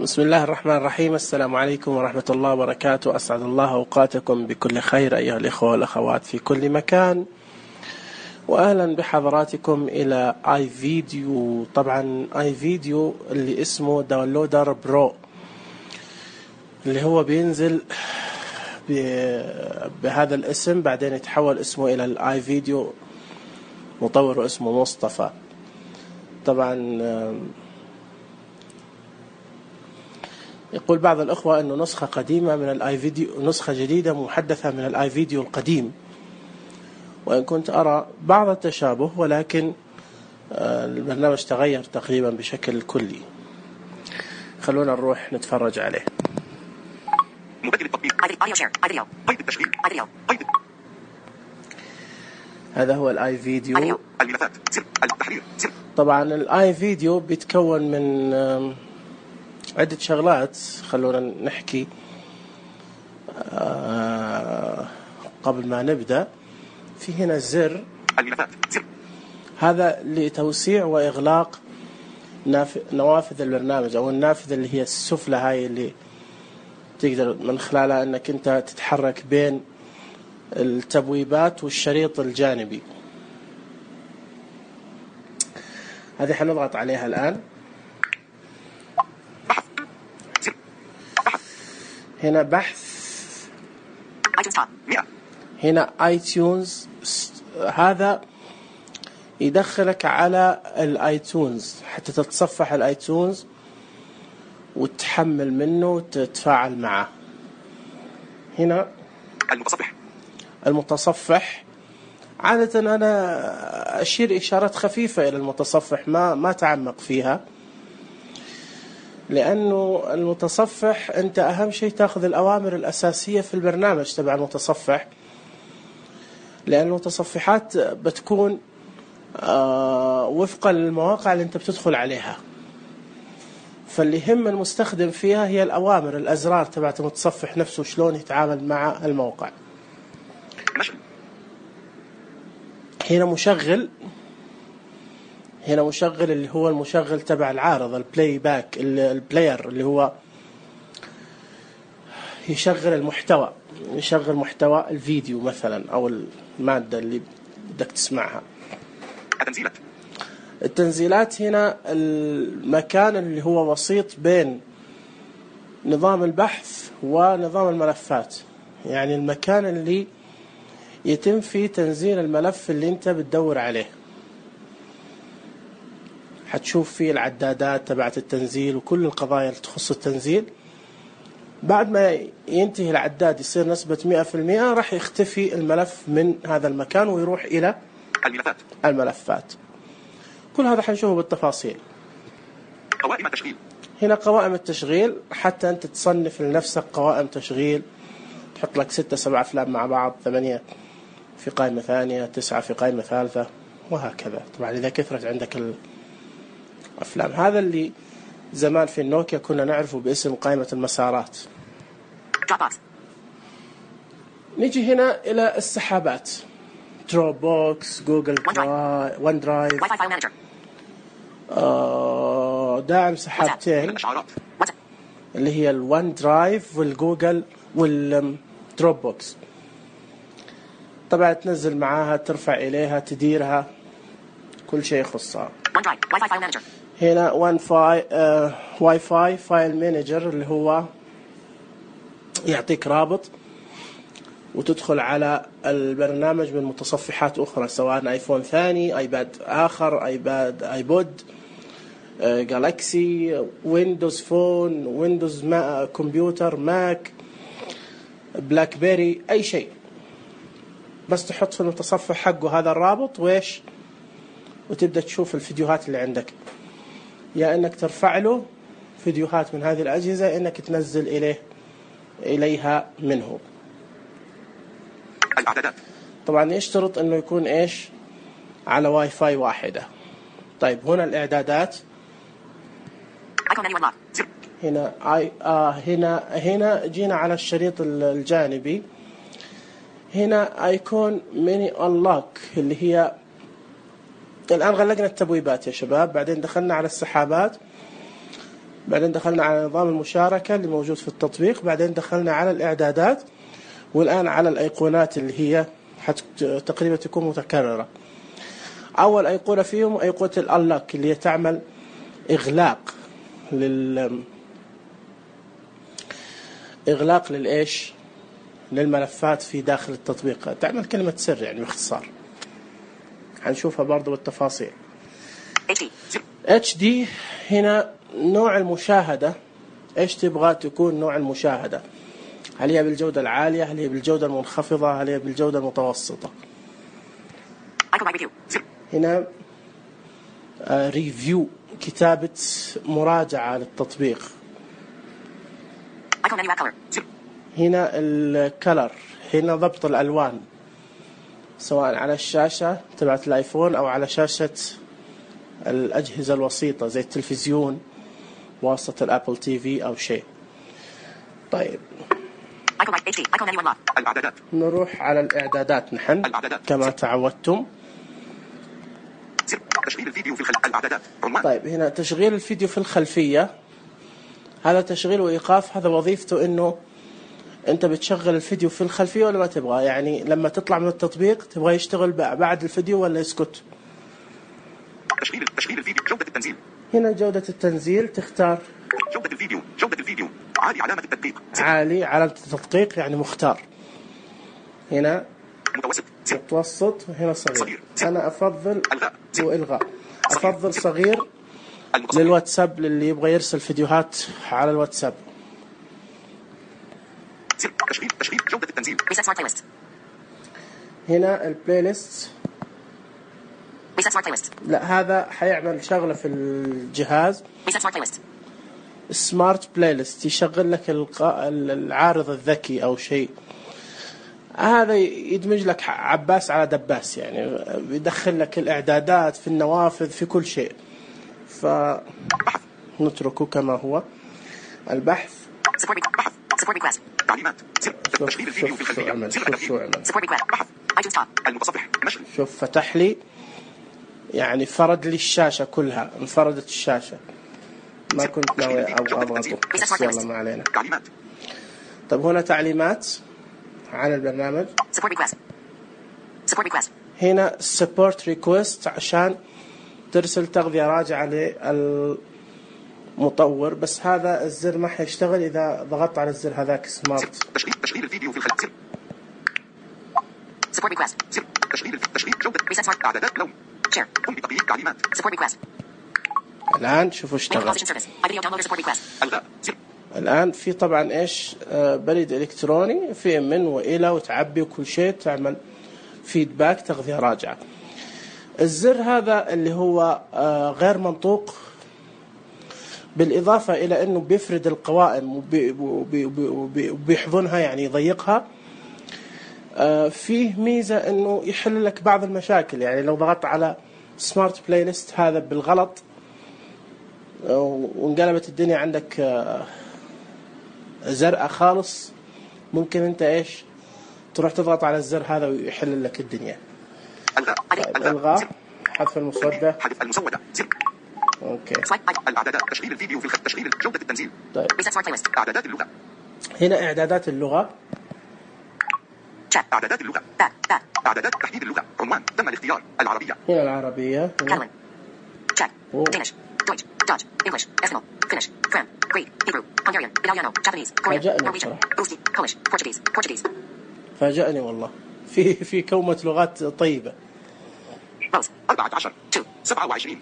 بسم الله الرحمن الرحيم. السلام عليكم ورحمة الله وبركاته. أسعد الله أوقاتكم بكل خير أيها الإخوة والأخوات في كل مكان، وأهلا بحضراتكم إلى آي فيديو. طبعا آي فيديو اللي اسمه داونلودر برو، اللي هو بينزل بهذا الاسم، بعدين يتحول اسمه إلى الآي فيديو، مطوره اسمه مصطفى. طبعا يقول بعض الأخوة أنه نسخة قديمة من الآي فيديو، نسخة جديدة محدثة من الآي فيديو القديم، وإن كنت أرى بعض التشابه، ولكن البرنامج تغير تقريبا بشكل كلي. خلونا نروح نتفرج عليه. مبدل التطبيق قيد التشغيل هذا هو الآي فيديو. الملفات سر التحرير سر. طبعا الآي فيديو بيتكون من عدة شغلات. خلونا نحكي قبل ما نبدأ. في هنا زر الملفات سر، هذا لتوسيع وإغلاق نوافذ البرنامج، أو النافذة اللي هي السفلى، هاي اللي تقدر من خلالها أنك أنت تتحرك بين التبويبات والشريط الجانبي. هذه حنضغط عليها الآن. هنا بحث، هنا iTunes. هذا يدخلك على الايتونز حتى تتصفح الايتونز وتحمل منه وتتفاعل معه. هنا المتصفح. عادة أنا أشير إشارات خفيفة إلى المتصفح، ما تعمق فيها، لأنه المتصفح أنت أهم شيء تأخذ الأوامر الأساسية في البرنامج تبع المتصفح، لأن المتصفحات بتكون وفقا للمواقع اللي أنت بتدخل عليها، فاللي يهم المستخدم فيها هي الأوامر، الأزرار تبعت المتصفح نفسه، شلون يتعامل مع الموقع. هنا مشغل، هنا مشغل اللي هو المشغل تبع العارض، البلاي باك، البلاير اللي هو يشغل المحتوى، يشغل محتوى الفيديو مثلا أو المادة اللي بدك تسمعها. التنزيلات هنا المكان اللي هو وسيط بين نظام البحث ونظام الملفات، يعني المكان اللي يتم فيه تنزيل الملف اللي انت بتدور عليه. حتشوف فيه العدادات تبعت التنزيل وكل القضايا اللي تخص التنزيل. بعد ما ينتهي العداد يصير نسبة 100%، راح يختفي الملف من هذا المكان ويروح إلى الملفات. كل هذا حنشوفه بالتفاصيل. قوائم التشغيل. هنا قوائم التشغيل، حتى أنت تصنف لنفسك قوائم تشغيل، تحط لك 6-7 أفلام مع بعض، 8 في قائمة ثانية، 9 في قائمة ثالثة، وهكذا. طبعا إذا كثرت عندك الأفلام، هذا اللي زمان في النوكيا كنا نعرفه باسم قائمة المسارات. نيجي هنا إلى السحابات، دروب بوكس، جوجل ون درايف، داعم سحابتين اللي هي الون درايف والجوجل والدروب بوكس. طبعا تنزل معاها، ترفع إليها، تديرها، كل شيء يخصها. هنا واي فاي فايل مانجر، اللي هو يعطيك رابط وتدخل على البرنامج من متصفحات أخرى، سواء آيفون ثاني، آيباد آخر، آيبود، جالاكسي، ويندوز فون، ويندوز كمبيوتر، ماك، بلاك بيري، أي شيء. بس تحط في المتصفح حقه هذا الرابط وتبدأ تشوف الفيديوهات اللي عندك، يا إنك ترفع له فيديوهات من هذه الأجهزة، إنك تنزل إليها منه. الإعدادات. طبعا يشترط إنه يكون على واي فاي واحدة. طيب هنا الإعدادات. هنا جينا على الشريط الجانبي. هنا ايكون ميني انلوك، اللي هي الآن غلقنا التبويبات يا شباب، بعدين دخلنا على السحابات. بعدين دخلنا على نظام المشاركة اللي موجود في التطبيق، بعدين دخلنا على الإعدادات، والآن على الأيقونات اللي هي تقريبا تكون متكررة. أول أيقونة فيهم أيقونة الأنلوك اللي هي تعمل إغلاق للإيش للملفات في داخل التطبيق، تعمل كلمة سر يعني باختصار. هنشوفها برضو بالتفاصيل. HD هنا نوع المشاهدة، إيش تبغى تكون نوع المشاهدة؟ هل هي بالجودة العالية؟ هل هي بالجودة المنخفضة؟ هل هي بالجودة المتوسطة؟ هنا ريفيو، كتابة مراجعة للتطبيق. هنا الكلر، هنا ضبط الألوان سواء على الشاشة تبعت الآيفون أو على شاشة الأجهزة الوسيطة زي التلفزيون واسطة الأبل تي في أو شيء. طيب الإعدادات. نروح على الإعدادات نحن كما تعودتم. تشغيل الفيديو في الإعدادات. طيب هنا تشغيل الفيديو في الخلفية، هذا تشغيل وإيقاف، هذا وظيفته إنه أنت بتشغل الفيديو في الخلفية ولا ما تبغى، يعني لما تطلع من التطبيق تبغى يشتغل بعد الفيديو ولا يسكت. تشغيل الفيديو. جودة التنزيل. هنا جودة التنزيل تختار جودة الفيديو عالي علامة التدقيق. عالي علامة التدقيق يعني مختار. هنا متوسط، هنا صغير. أنا أفضل وإلغاء، أفضل صغير للواتساب للي يبغى يرسل فيديوهات على الواتساب. تشغيل جودة التنزيل. هنا البلاي ليست، لا هذا حيعمل شغلة في الجهاز سمارت بلاي ليست، يشغل لك العارض الذكي أو شيء. هذا يدمج لك عباس على دباس، يعني بيدخل لك الإعدادات في النوافذ في كل شيء، فنتركه كما هو. البحث، تعليمات. تشغيل الفيديو في الخلفية. المتصفح. شوف فتح لي، يعني فرد لي الشاشة كلها، انفردت الشاشة، ما كنت ناوي أضغطه بس يلا ما علينا. تعليمات. طيب هنا تعليمات عن البرنامج. هنا support request عشان ترسل تغذية راجعة للمطور، بس هذا الزر ما حيشتغل إذا ضغطت على الزر هذاك سمارت. تشغيل الفيديو في الخلفية. تشغيل جودة. إعدادات لون. قم بتقييم تعليمات. الآن شوفوا اشتغل. الآن في طبعا إيش بريد إلكتروني في من وإلى وتعبي وكل شيء، تعمل فيدباك تغذية راجعة. الزر هذا اللي هو غير منطوق، بالإضافة إلى أنه بيفرد القوائم وبيحضنها يعني يضيقها. فيه ميزة أنه يحل لك بعض المشاكل، يعني لو ضغطت على سمارت بلاي ليست هذا بالغلط وانقلبت الدنيا عندك زرقاء خالص، ممكن أنت إيش تروح تضغط على الزر هذا ويحل لك الدنيا. الغاء، حذف المسودة. اوكي. الاعدادات. تشغيل الفيديو في تشغيل جودة التنزيل. طيب اعدادات اللغة. هنا اعدادات اللغة. اعدادات اللغة. اعدادات تحديد اللغة. عنوان تم الاختيار. العربية. هنا العربية. فاجأني والله، في كومة لغات طيبة. 14 27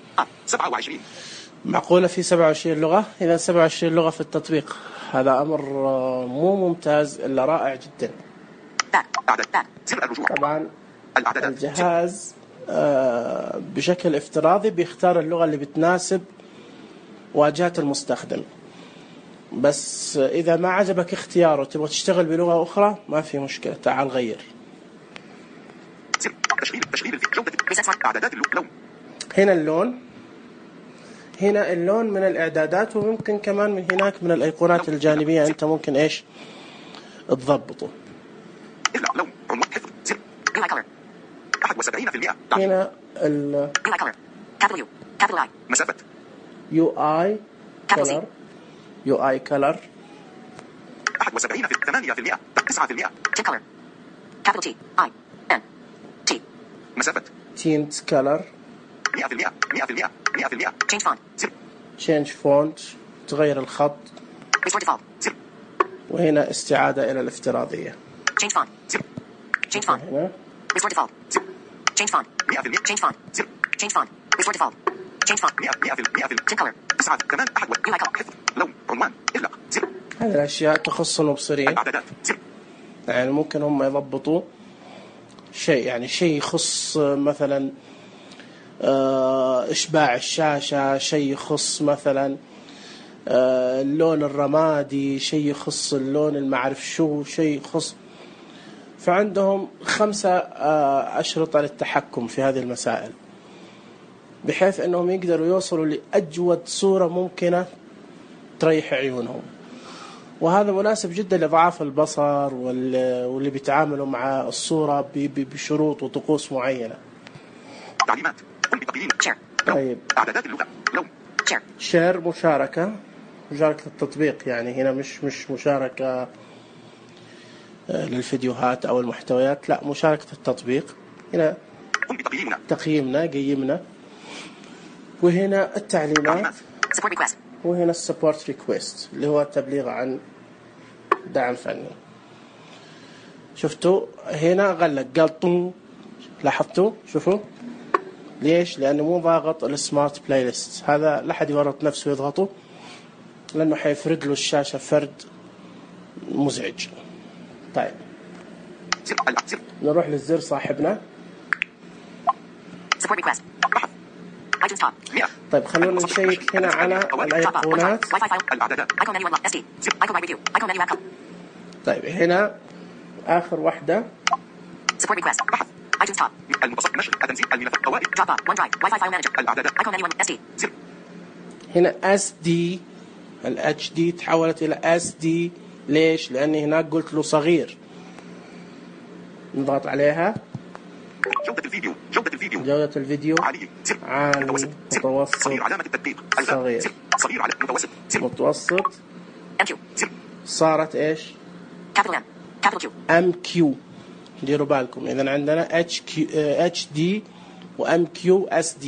معقولة في 27 لغة؟ إذا 27 لغة في التطبيق، هذا أمر مو ممتاز إلا رائع جدا. طبعا الجهاز بشكل افتراضي بيختار اللغة اللي بتناسب واجهة المستخدم، بس إذا ما عجبك اختياره تبغى تشتغل بلغة أخرى ما في مشكلة، تعال غير. تشغيل جودة اعدادات اللون. هنا اللون، هنا اللون من الإعدادات، وممكن كمان من هناك من الأيقونات الجانبية أنت ممكن إيش تضبطه. لون. عنوان حفظ. زر. 71%. هنا ال مسافة. UI color UI color 71% 9%. Tint color. Capital T I N T. مسافة tint color 100%. Change font. change font تغير الخط. Restore default. وهنا استعادة إلى الافتراضية. Change font. Change font. هنا Restore default. Change font. 100%. Change font. Change font. Restore default. Change font. 100%. Tint color. 9 كمان أحد UI color. حفظ لون عنوان إغلاق هذه الأشياء تخص المبصرين. الإعدادات يعني ممكن هم يضبطوا شيء، يعني شيء يخص مثلا إشباع الشاشة، شيء يخص مثلا اللون الرمادي، شيء يخص اللون المعرف شو، شيء يخص. فعندهم 5 أشرطة للتحكم في هذه المسائل، بحيث أنهم يقدروا يوصلوا لأجود صورة ممكنة تريح عيونهم. وهذا مناسب جدا لضعاف البصر واللي بيتعاملوا مع الصورة بشروط وطقوس معينة. تعليمات قم بتقييم طيب إعدادات اللغة لون شير مشاركة التطبيق، يعني هنا مش مشاركة للفيديوهات أو المحتويات، لا مشاركة التطبيق. هنا قم بتقييمنا تقييمنا قيمنا، وهنا التعليمات، Support request. وهنا السبورت ريكويست اللي هو التبليغ عن دعم فني. شفتوا هنا غلق قال طن، لاحظتوا؟ شوفوا ليش؟ لأنه مو ضاغط السمارت بلاي ليست. هذا لا حد يورط نفسه يضغطه، لأنه حيفرد له الشاشة فرد مزعج. طيب نروح للزر صاحبنا. Support request. iTunes top. طيب خلونا نشيك هنا على الأيقونات. Wi-Fi file. الإعدادات Icon menu unlock. SD. Icon by review. Icon menu app. طيب هنا آخر واحدة Support request. iTunes top. المتصفح نشر التنزيل الملفات قوائم Dropbox. OneDrive. Wi-Fi file manager. الإعدادات Icon menu SD. هنا SD، ال HD تحولت إلى SD. ليش؟ لأني هناك قلت له صغير. نضغط عليها. جودة الفيديو عالي متوسط صغير علامة التدقيق صغير صغير على متوسط. MQ. صارت إيش؟ Capital M. Capital Q. MQ. ديروا بالكم إذا عندنا HD و MQ SD.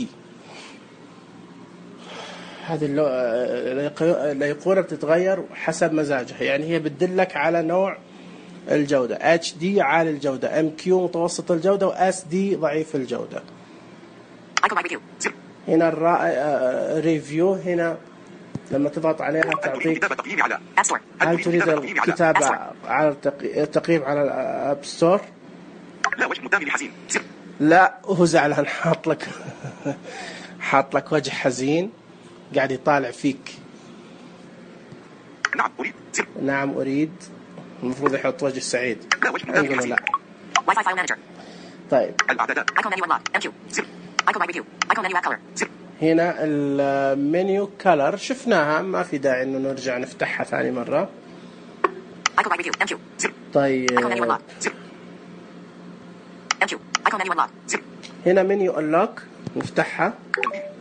هذه الأيقونة بتتغير حسب مزاجها، يعني هي بتدلك على نوع الجودة. HD عالي الجودة، MQ متوسط الجودة، و SD ضعيف الجودة. Icon by review. هنا ريفيو، هنا لما تضغط عليها تعطيك App Store. هل تريد الكتابة على التقييم على الأب ستور؟ لا وجه مدام حزين. لا هو زعلان، حاط لك وجه حزين قاعد يطالع فيك. نعم أريد. المفروض يحط وجه سعيد. لا وجه مدام حزين. لا. Wi-Fi file manager. طيب Icon menu unlock. MQ. Icon by review. Icon menu app color. هنا المنيو كلر شفناها، ما في داعي انه نرجع نفتحها ثاني مرة. Icon by review. MQ. طيب Icon menu unlock. MQ. Icon menu unlock. هنا منيو unlock نفتحها.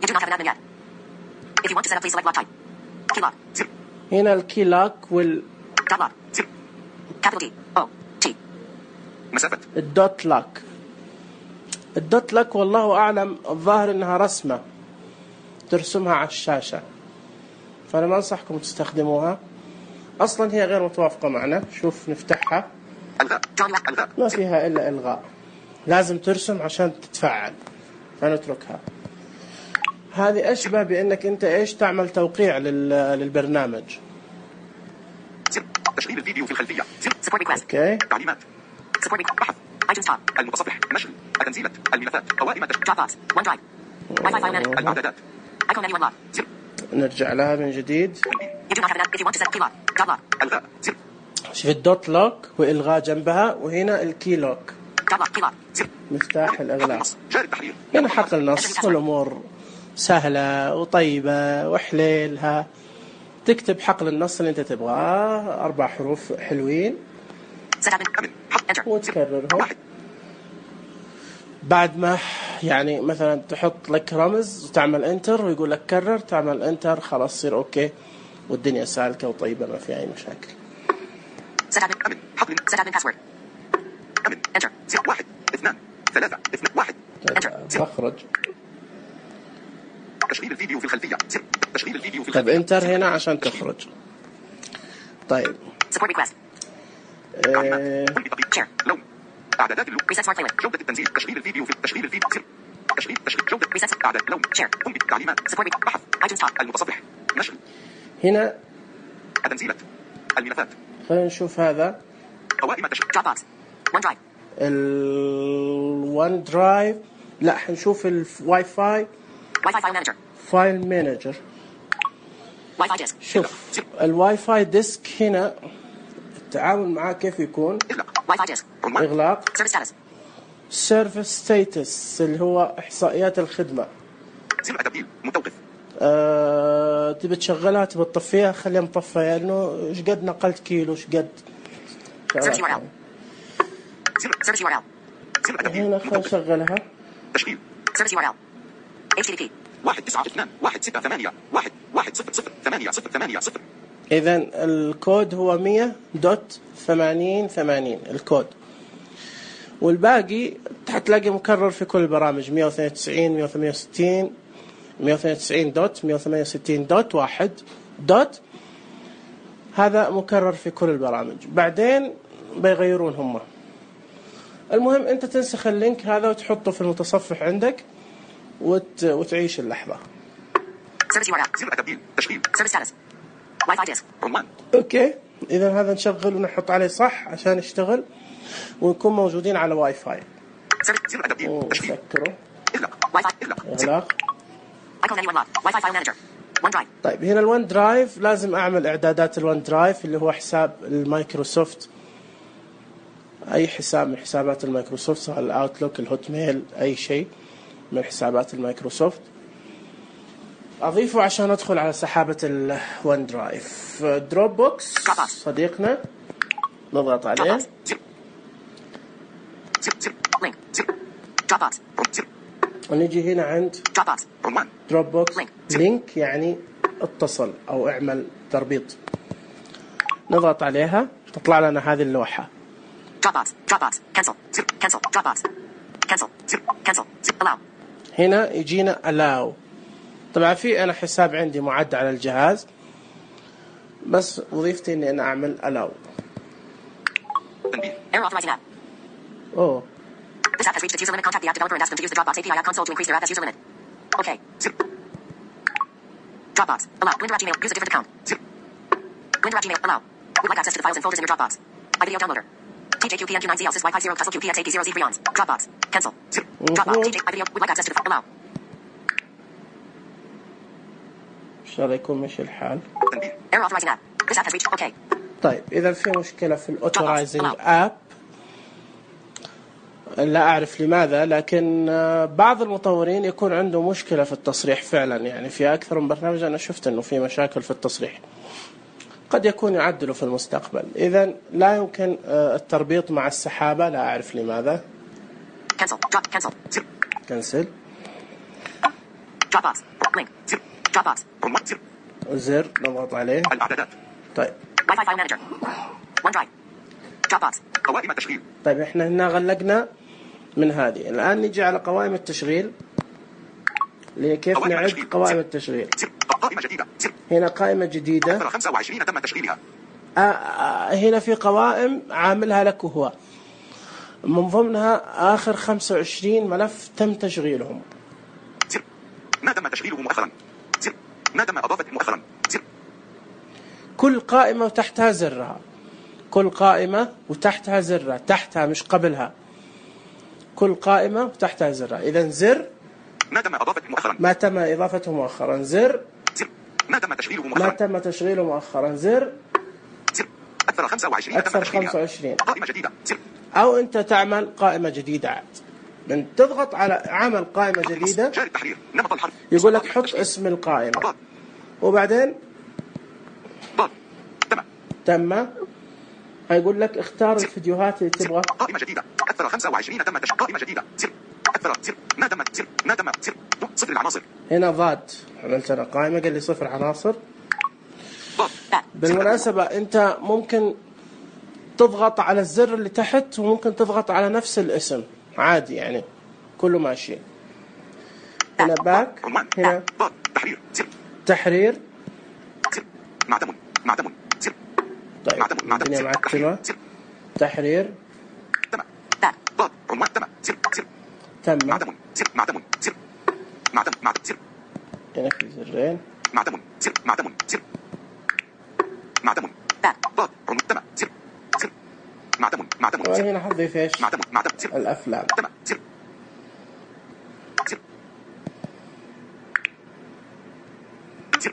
You do not have an admin yet. If you want to set up, please select lock type. Key lock. هنا الكي لوك وال Dot lock. Capital D. O. T. مسافة الدوت لوك. الدوت لوك والله أعلم، الظاهر إنها رسمة ترسمها على الشاشة، فأنا ما أنصحكم تستخدموها. أصلا هي غير متوافقة معنا. شوف نفتحها ما فيها إلا إلغاء، لازم ترسم عشان تتفعل، فنتركها. هذه أشبه بأنك أنت إيش تعمل توقيع للبرنامج. تشغيل الفيديو في الخلفية. Support request. أوكي. تعليمات Support request. iTunes top. المتصفح نشر التنزيلات الملفات قوائم Dropbox. OneDrive. Wi-Fi file manager. الإعدادات Icon menu unlock. نرجع لها من جديد. You do not have an if you want to set key lock. Dot lock. الغاء شوف الدوت لوك وإلغاء جنبها، وهنا الكي لوك Dot lock. Key lock. مفتاح الإغلاق. جاري التحرير. هنا حق النص والأمور سهلة وطيبة وحليلها. تكتب حقل النص اللي أنت تبغاه، 4 حروف حلوين، Set admin. Enter. وتكررهم. بعد ما يعني مثلا تحط لك رمز وتعمل انتر ويقول لك كرر، تعمل انتر خلاص يصير اوكي. والدنيا سالكة وطيبة ما في أي مشاكل. Set admin. أمن حط Set admin password. أمن Enter. 1 2 3 2 1 بخرج. تشغيل الفيديو في الخلفية تشغيل الفيديو في طيب الخلفية. انتر هنا عشان تخرج. طيب Support request. Share. لون أعدادات اللون Reset smart playlist. جودة التنزيل تشغيل الفيديو تشغيل جودة Reset. أعداد لون Share. قم بالتعليمات Support بحث iTunes top. المتصفح نشر هنا تنزيلات الملفات خلينا نشوف هذا قوائم تشغيل Dropbox. OneDrive. الون درايف. لا حنشوف الواي فاي Wi-Fi file manager. فايل مانجر. Wi-Fi disk. شوف الواي فاي ديسك هنا التعامل معاه كيف يكون. إغلاق Wi-Fi disk. عنوان إغلاق. Service status. سيرفيس ستاتس اللي هو إحصائيات الخدمة. زر تبديل متوقف تبي تشغلها تبي تطفيها خليها مطفية لأنه إيش قد نقلت كيلو إيش قد. Service URL. Service URL. زر تبديل هنا خلينا نشغلها. تشغيل Service URL. HTTP. 192 168 1100800. إذا الكود هو 100.8080 الكود، والباقي حتلاقي مكرر في كل البرامج 192 168 192 دوت 168 دوت 1 دوت. هذا مكرر في كل البرامج. بعدين بيغيرون هم. المهم أنت تنسخ اللينك هذا وتحطه في المتصفح عندك وتعيش اللحظة. Service URL. زر تبديل تشغيل Service status. Wi-Fi disk. عنوان اوكي اذا هذا نشغل ونحط عليه صح عشان يشتغل ونكون موجودين على واي فاي. زر تبديل تشغيل ونسكره. إغلاق Wi-Fi. اغلاق. Icon menu unlock. Wi-Fi file manager. OneDrive. طيب هنا الون درايف لازم اعمل اعدادات الون درايف اللي هو حساب المايكروسوفت، اي حساب من حسابات المايكروسوفت سواء الاوتلوك الهوت ميل اي شيء من حسابات المايكروسوفت اضيفه عشان ادخل على سحابة الون درايف. دروب بوكس صديقنا نضغط عليه. زر Link. Dropbox. زر ونجي هنا عند Dropbox. عنوان دروب بوكس Link. لينك يعني اتصل او اعمل تربيط. نضغط عليها تطلع لنا هذه اللوحة. Dropbox. Dropbox. Cancel. Cancel. Dropbox. Cancel. Cancel. Allow. هنا يجينا allow. طبعا في انا حساب عندي معد على الجهاز بس وظيفتي اني انا اعمل allow. تنبيه Error authorizing app. اوه This app has reached its user limit. Contact the app developer and ask them to use the Dropbox API app console to increase their app as user limit. Okay. زر Dropbox. Allow. Blinder@gmail. Use a different account. زر Blinder@gmail. Allow. Would like access to the files and folders in your Dropbox. My video downloader. TJQPNQ9ZL sys Y50 Castle QPXA0Z Brions. Dropbox. Cancel. زر Dropbox. TJ. My video. Would like access to the file. Allow. ان شاء الله يكون ماشي الحال. تنبيه Error authorizing app. This app has reached. Okay. طيب اذا في مشكلة في الاوثرايزنج اب لا اعرف لماذا، لكن بعض المطورين يكون عنده مشكلة في التصريح فعلا. يعني في اكثر من برنامج انا شفت انه في مشاكل في التصريح، قد يكون يعدلوا في المستقبل. اذا لا يمكن التربيط مع السحابة، لا اعرف لماذا. Cancel. Cancel. زر كنسل. Dropbox. Link. زر Dropbox. عنوان زر زر نضغط عليه. الإعدادات طيب Wi-Fi file manager. OneDrive. Dropbox. قوائم التشغيل طيب احنا هنا غلقنا من هذه. الان نجي على قوائم التشغيل اللي كيف قوائم نعد التشغيل. قوائم التشغيل. زر قائمة جديدة زر هنا قائمة جديدة. 25 تم تشغيلها هنا في قوائم عاملها لك وهو من ضمنها آخر 25 ملف تم تشغيلهم. زر ما تم تشغيله مؤخرا زر ما تم إضافته مؤخرا زر كل قائمة وتحتها زرها، كل قائمة وتحتها زرها، تحتها مش قبلها. كل قائمة وتحتها زرها. إذا زر ما تم إضافته مؤخرا ما تم إضافته مؤخرا. زر زر ما تم تشغيله ما مؤخرا تم تشغيله مؤخرا. زر زر أكثر 25 تم أكثر تشغيلها 25. قائمة جديدة زر أو أنت تعمل قائمة جديدة عاد. من تضغط على عمل قائمة جديدة جاري التحرير نمط الحرف يقول لك حط اسم القائمة ضاد وبعدين ضاد تم تم. هيقول لك اختار الفيديوهات اللي تبغى. قائمة جديدة أكثر 25 تم قائمة جديدة زر أكثر زر ما تم زر ما تم زر صفر العناصر هنا ضاد عملت أنا قائمة قال لي صفر عناصر. Back. بالمناسبة أنت ممكن تضغط على الزر اللي تحت وممكن تضغط على نفس الاسم عادي، يعني كله ماشي. هنا باك، عنوان. هنا ضاد. تحرير. زر. تحرير. زر. معدم. معدم. زر. طيب معدم. معدم. الدنيا زر. معتمة. زر. تحرير. تم. Back. ضاد. عنوان. تم. زر. زر. تم. معدم. زر. معدم. زر. معدم. معدم. زر. هنا في زرين. معدم. زر. معدم. زر. معدم. Back. ضاد. عنوان. تم. زر. زر. معدم. معدم. طبعا زر. هنا حضيف ايش؟ معدم. معدم. زر. الأفلام. تم. زر. زر. زر.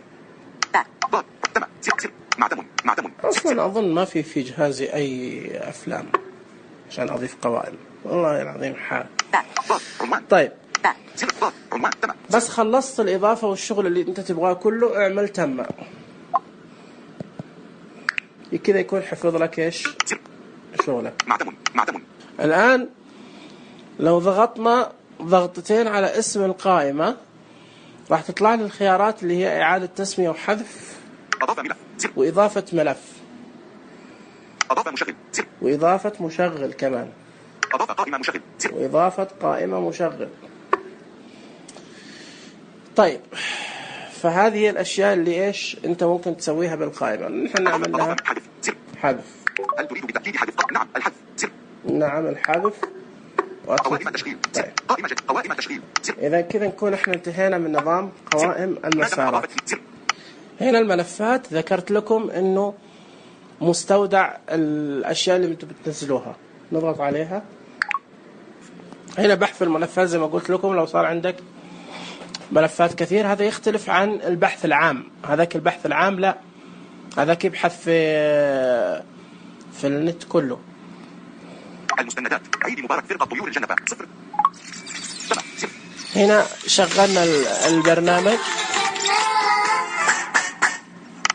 Back. ضاد. تم. زر. زر. معدم. معدم. أصلا أظن ما في جهازي أي أفلام عشان أضيف قوائم، والله العظيم حال. Back. ضاد. عنوان. طيب Back. زر. ضاد. عنوان. تم. بس خلصت الإضافة والشغل اللي أنت تبغاه كله، اعمل تم. كذا يكون حفظ لك ايش؟ زر. شغلك. معدم. معدم. الآن لو ضغطنا ضغطتين على اسم القائمة راح تطلع لي الخيارات اللي هي إعادة تسمية وحذف أضاف ملف. زر. وإضافة ملف أضاف مشغل. زر. وإضافة مشغل كمان أضاف قائمة مشغل. زر. وإضافة قائمة مشغل. طيب فهذه هي الأشياء اللي إيش أنت ممكن تسويها بالقائمة. نحن نعمل لها أضاف حذف. زر. حذف. هل تريد بالتأكيد حذف؟ نعم. الحذف. زر. نعم الحذف. قوائم تشغيل. زر. طيب قائمة جد. قوائم تشغيل. زر. إذا كذا نكون إحنا انتهينا من نظام قوائم المسارات. إضافة. زر. هنا الملفات ذكرت لكم إنه مستودع الأشياء اللي أنتم بتنزلوها، نضغط عليها. هنا بحث الملفات زي ما قلت لكم، لو صار عندك ملفات كثير هذا يختلف عن البحث العام. هذاك البحث العام لا، هذاك يبحث في النت كله. المستندات. عيد مبارك فرقة طيور الجنة. صفر. تم. زر. هنا شغلنا البرنامج.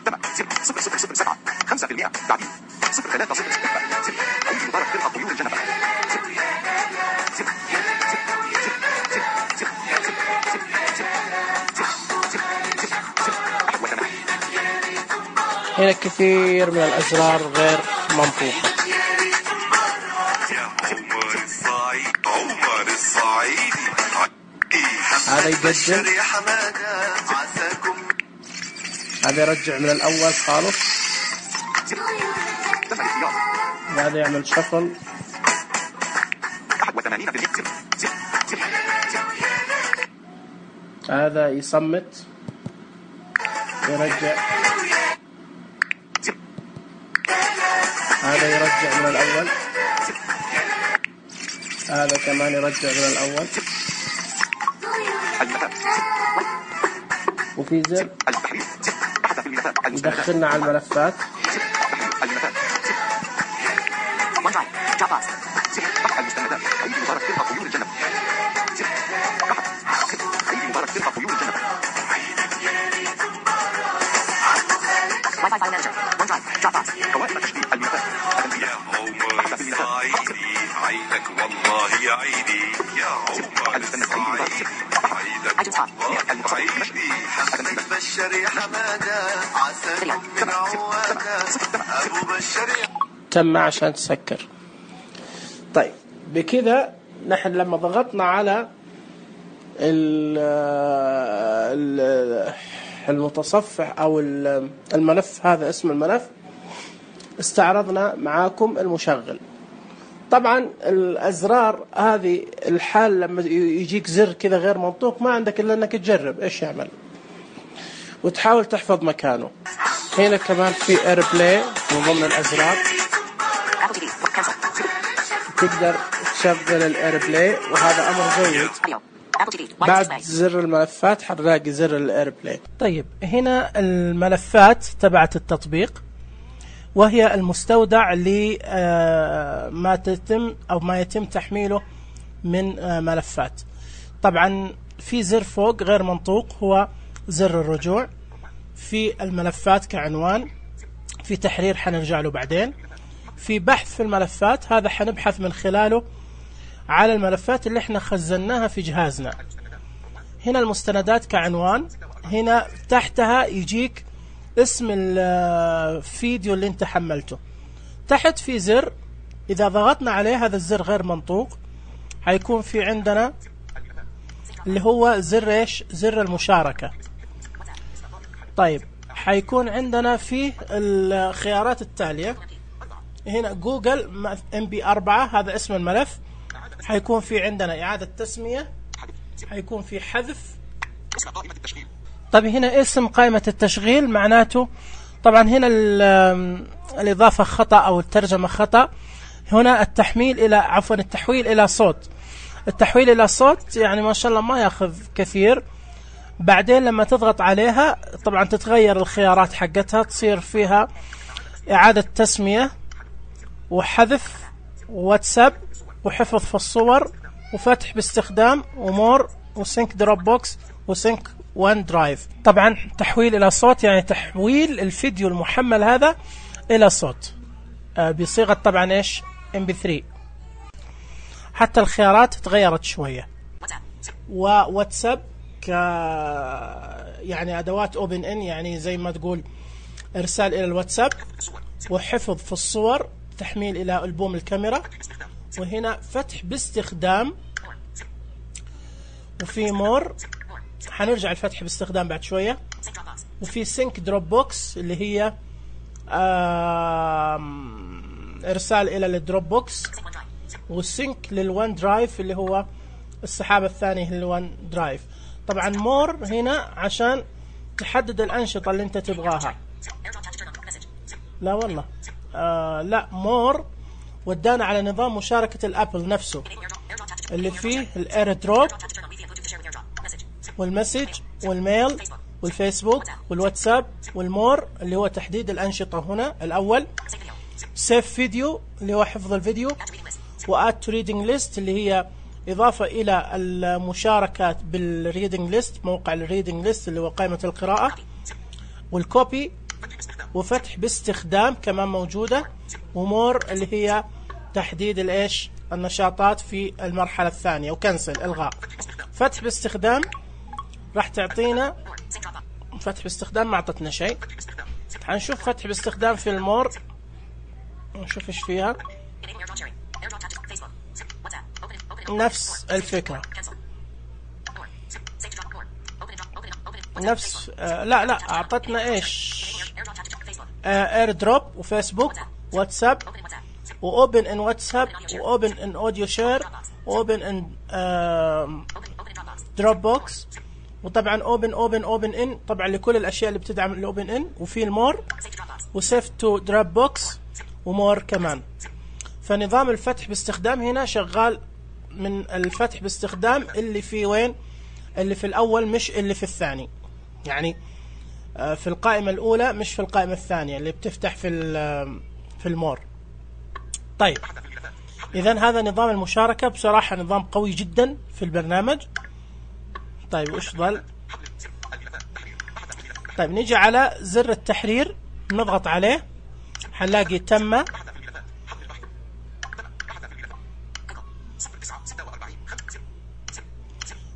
تم. زر. 007 5% تعديل. 03 0 زر. عيد مبارك فرقة طيور الجنة. زر. زر. زر. زر. زر. هنا كثير من الأزرار غير منطوقة. هذا يقدم، هذا يرجع من الأول خالص، هذا يعمل شفل، 81%. هذا يصمت يرجع، هذا يرجع من الأول، هذا كمان يرجع من الأول، وفي زر يدخلنا على الملفات. OneDrive. Dropbox. المستندات. عيد مبارك فرقة طيور الجنة. عيد مبارك فرقة طيور الجنة. Wi-Fi File Manager. OneDrive. Dropbox. قوائم تشغيل الملفات. عيدك والله يا عيدي يا عمر الصعيدي عيدك والله عيدي بشر يا حمادة عساكم من عوادة أبو بشر. تم عشان تسكر. طيب بكذا نحن لما ضغطنا على المتصفح أو الملف، هذا اسم الملف، استعرضنا معاكم المشغل. طبعا الأزرار هذه الحال لما يجيك زر كذا غير منطوق ما عندك إلا أنك تجرب إيش يعمل وتحاول تحفظ مكانه. هنا كمان في ايربلاي من ضمن الأزرار، Apple TV. Cancel. تقدر تشغل الايربلاي وهذا أمر جيد. Audio. Apple TV. Wireless بعد display. زر الملفات حنلاقي زر الايربلاي. طيب هنا الملفات تبعت التطبيق، وهي المستودع لما تتم أو ما يتم تحميله من ملفات. طبعا في زر فوق غير منطوق هو زر الرجوع، في الملفات كعنوان، في تحرير حنرجع له بعدين، في بحث في الملفات هذا حنبحث من خلاله على الملفات اللي احنا خزناها في جهازنا. هنا المستندات كعنوان، هنا تحتها يجيك اسم الفيديو اللي انت حملته. تحت في زر، اذا ضغطنا عليه هذا الزر غير منطوق، حيكون في عندنا اللي هو زر ايش؟ زر المشاركة. طيب حيكون عندنا فيه الخيارات التالية هنا: جوجل MP4 هذا اسم الملف، حيكون في عندنا إعادة تسمية، حيكون في حذف. طيب هنا اسم قائمة التشغيل، معناته طبعا هنا الإضافة خطأ أو الترجمة خطأ. هنا التحويل إلى صوت. التحويل إلى صوت يعني ما شاء الله ما ياخذ كثير. بعدين لما تضغط عليها طبعا تتغير الخيارات حقتها، تصير فيها إعادة تسمية وحذف وواتساب وحفظ في الصور وفتح باستخدام ومور وسينك دروب بوكس وسينك وان درايف. طبعا تحويل إلى صوت يعني تحويل الفيديو المحمل هذا إلى صوت بصيغة طبعا إيش؟ MP3. حتى الخيارات تغيرت شوية. وواتساب يعني أدوات Open In، يعني زي ما تقول إرسال إلى الواتساب، وحفظ في الصور، تحميل إلى ألبوم الكاميرا، وهنا فتح باستخدام، وفي مور، حنرجع الفتح باستخدام بعد شوية، وفي سينك دروب بوكس اللي هي إرسال إلى الدروب بوكس، والسينك للوان درايف اللي هو السحابة الثاني للوان درايف. طبعا مور هنا عشان تحدد الأنشطة اللي انت تبغاها. لا والله لا، مور ودانا على نظام مشاركة الأبل نفسه اللي فيه الاير دروب والمسج والميل والفيسبوك والواتساب والمور اللي هو تحديد الأنشطة. هنا الأول سيف فيديو اللي هو حفظ الفيديو، وآد تو ريدنج ليست اللي هي إضافة إلى المشاركات بالريدنج ليست، موقع الريدنج ليست اللي هو قائمة القراءة، والكوبي، وفتح باستخدام كمان موجودة، ومور اللي هي تحديد الإيش؟ النشاطات في المرحلة الثانية، وكنسل إلغاء. فتح باستخدام راح تعطينا فتح باستخدام، ما أعطتنا شيء. هنشوف فتح باستخدام في المور، نشوف إيش فيها. نفس الفكرة، نفس لا أعطتنا إيش؟ اير دروب وفيسبوك واتساب وأوبن إن واتساب وأوبن إن أوديو شير وأوبن إن دروب بوكس، وطبعا أوبن إن طبعا لكل الأشياء اللي بتدعم الأوبن إن، وفي المور وسيف تو دروب بوكس ومور كمان. فنظام الفتح باستخدام هنا شغال من الفتح باستخدام اللي في وين؟ اللي في الأول مش اللي في الثاني، يعني في القائمة الأولى مش في القائمة الثانية اللي بتفتح في المور. طيب إذن هذا نظام المشاركة، بصراحة نظام قوي جدا في البرنامج. طيب وإيش ظل؟ طيب نيجي على زر التحرير، نضغط عليه، حنلاقي تم،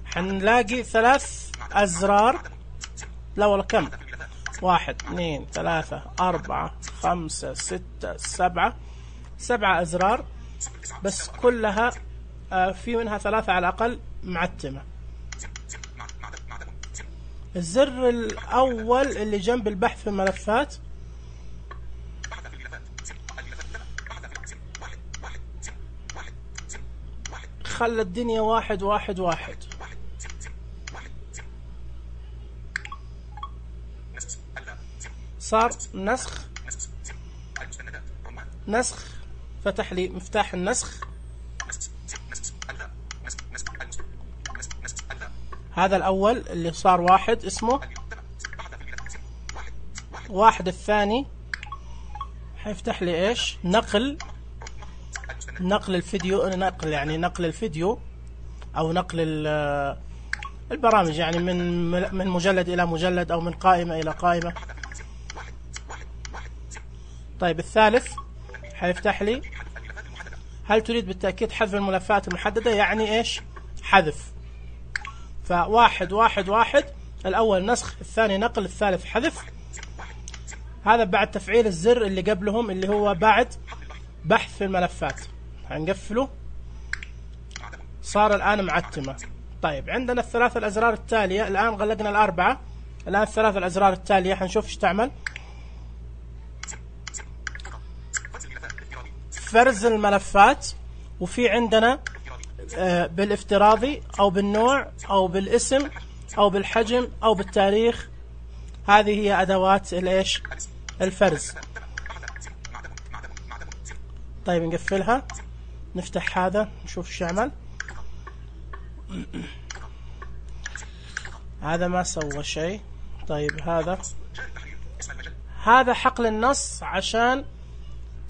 حنلاقي 3 أزرار، لا والله كم، 1 2 3 4 5 6 7 أزرار، بس كلها في منها 3 على الأقل معتمة. الزر الأول اللي جنب البحث في الملفات، خلى الدنيا 1 1 1. صار نسخ، فتح لي مفتاح النسخ. هذا الأول اللي صار 1 اسمه 1. الثاني حيفتح لي إيش؟ نقل الفيديو، يعني نقل الفيديو أو نقل البرامج، يعني من مجلد إلى مجلد أو من قائمة إلى قائمة. طيب الثالث حيفتح لي هل تريد بالتأكيد حذف الملفات المحددة، يعني إيش؟ حذف. ف1 1 1 الأول نسخ، الثاني نقل، الثالث حذف. هذا بعد تفعيل الزر اللي قبلهم اللي هو بعد بحث في الملفات. هنقفله، صار الآن معتمة. طيب عندنا الثلاث الأزرار التالية، الآن غلقنا الأربعة، الآن الثلاث الأزرار التالية حنشوف ايش تعمل. فرز الملفات، وفي عندنا بالافتراضي أو بالنوع أو بالاسم أو بالحجم أو بالتاريخ. هذه هي أدوات الإيش؟ الفرز. طيب نقفلها، نفتح هذا نشوف ايش يعمل. هذا ما سوى شيء. طيب هذا حقل النص عشان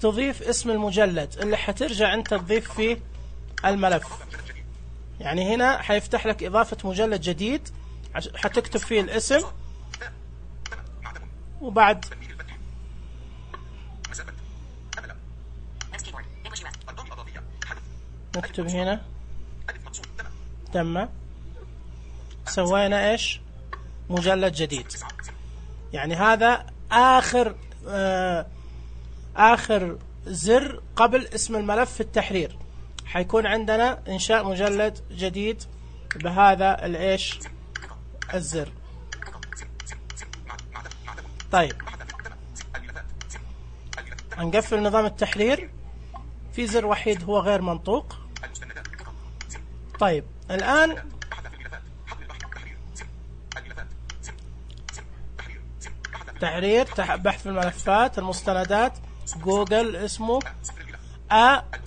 تضيف اسم المجلد اللي حترجع انت تضيف فيه الملف. يعني هنا حيفتح لك إضافة مجلد جديد، حتكتب فيه الاسم، وبعد نكتب هنا تم، سوينا ايش؟ مجلد جديد. يعني هذا آخر زر قبل اسم الملف في التحرير. حيكون عندنا إنشاء مجلد جديد بهذا الإيش؟ الزر. طيب هنقفل نظام التحرير، في زر وحيد هو غير منطوق. طيب الآن تحرير، بحث الملفات، المستندات، جوجل اسمه